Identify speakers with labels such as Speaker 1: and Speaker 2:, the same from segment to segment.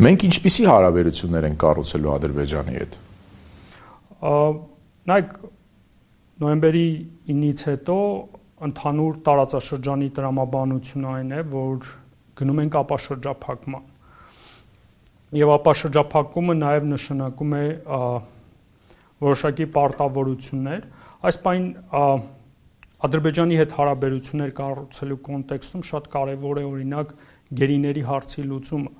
Speaker 1: Մենք ինչպիսի հարաբերություններ ենք կառուցելու Ադրբեջանի հետ։
Speaker 2: Նայեք, նոյեմբերի 9-ից հետո ընդհանուր տարածաշրջանի տրամաբանությունը այն է, որ գնում ենք ապաշրջափակման։ Եվ ապաշրջափակումը նաև նշանակում է որոշակի պարտավորություններ։ Այս պայն Ադրբեջանի հետ հարաբերություններ կառուցելու կոնտեքստում շատ կարևոր է օրինակ գերիների հարցի լուծումը։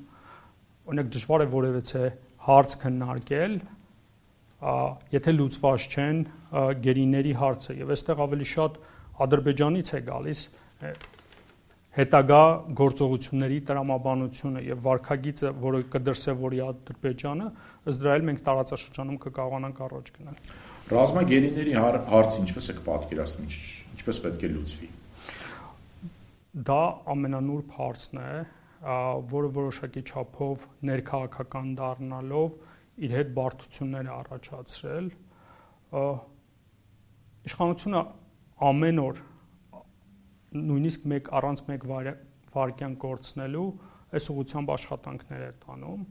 Speaker 2: Օրինակ դժվար է որևէ հարց քննարկել, եթե լուծված չեն գերիների հարցը, եւ այստեղ ավելի շատ Ադրբեջանից է գալիս հետագա գործողությունների տրամաբանությունը եւ վարքագիծը, որը կդրսեւորի Ադրբեջանը, ըստ դրա էլ մենք տարածաշրջանում կկարողանանք առաջ գնալ։
Speaker 1: Ռազմագերիների հարցը ինչպես եք պատկերացնում, ինչպես պետք է լուծվի։
Speaker 2: Դա ամենանուրբ հարցն է, որը որոշակի չափով ներքաղաքական դառնալով իր հետ բարդություններ է առաջացրել։ Իշխանությունը ամեն օր նույնիսկ առանց մեկ վայրկյան կորցնելու այս ուղղությամբ աշխատանքներ է տանում։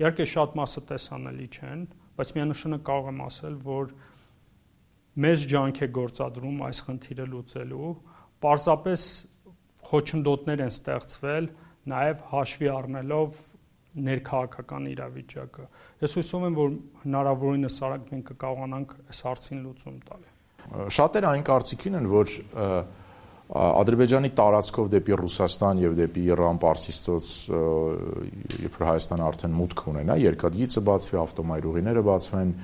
Speaker 2: Իհարկե շատ մասը տեսանելի չեն, բայց միանշանակ կարող եմ ասել, որ մեծ ջանք է գործադրում այս խնդիրը լուծելու, պարզապես խոչընդոտներ են ստեղծվել, նաև հաշվի առնելով ներքաղաքական իրավիճակը։ Ես հույսով եմ, որ հնարավորինս արագ մենք կկարողանանք այս հարցին լուծում տալ։
Speaker 1: Շատերը այն կարծիքին են, որ Ադրբեջանի տարածքով դեպի Ռուսաստան եւ դեպի Իրան, Պարսից ծոց, երբ Հայաստանը արդեն մուտք ունենա, երկաթգիծը բացվի, ավտոմայրուղիները բացվեն,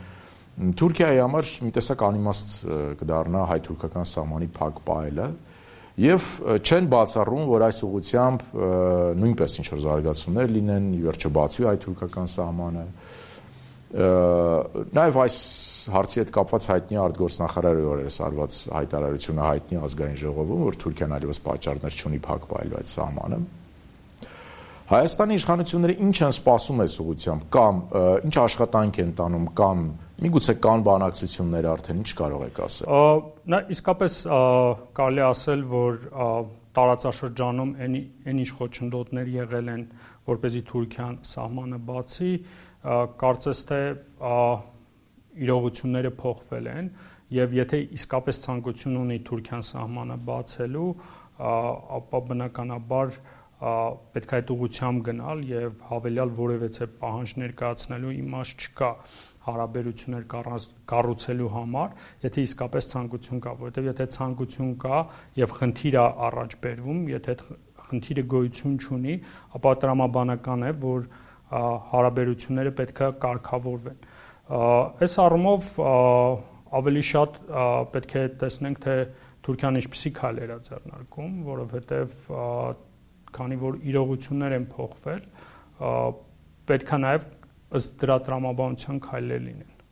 Speaker 1: Թուրքիայի համար մի տեսակ անիմաստ կդառնա հայ-թուրքական սահմանի փակ պահելը եւ չեն բացառում, որ այս ուղղությամբ նույնպես ինչ որ զարգացումներ լինեն, ի վերջո բացվի հայ-թուրքական սահմանը։ Նաև այս հարցի հետ կապված հայտնի արտգործնախարարի օրերս արված հայտարարությունը հայտնի ազգային ժողովում, որ Թուրքիան այլևս պատճառներ չունի փակ պահելու այդ սահմանը։ Հայաստանի իշխանությունները ինչ են սպասում այս ուղղությամբ, կամ ինչ աշխատանք են տանում, կամ միգուցե կան բանակցություններ արդեն, ինչ կարող եք ասել։
Speaker 2: Նա իսկապես կարելի ասել, որ տարածաշրջանում այն ինչ խոչընդոտներ եղել են, որպեսզի Թուրքիան սահմանը բացի, կարծես թե իրողությունները փոխվել են, եւ եթե իսկապես ցանկություն ունի Թուրքիան սահմանը բացելու, ապա բնականաբար պետք է այդ ուղղությամբ գնալ եւ հավելյալ որևէ պահանջ ներկայացնելու իմաստ չկա հարաբերություններ կառուցելու համար, եթե իսկապես ցանկություն կա, որովհետեւ եթե ցանկություն կա եւ խնդիր է առաջ բերվում, եթե խնդիրը գոյություն չունի, ապա տրամաբանական է, որ հարաբերությունները պետք է կարգավորվեն։ Այս առումով ավելի շատ պետք է տեսնենք, թե Թուրքիան ինչպիսի քայլեր է ձեռնարկում, որովհետև քանի որ իրողություններ են փոխվել, պետք է նաև ըստ դրա տրամաբանության քայլեր լինեն։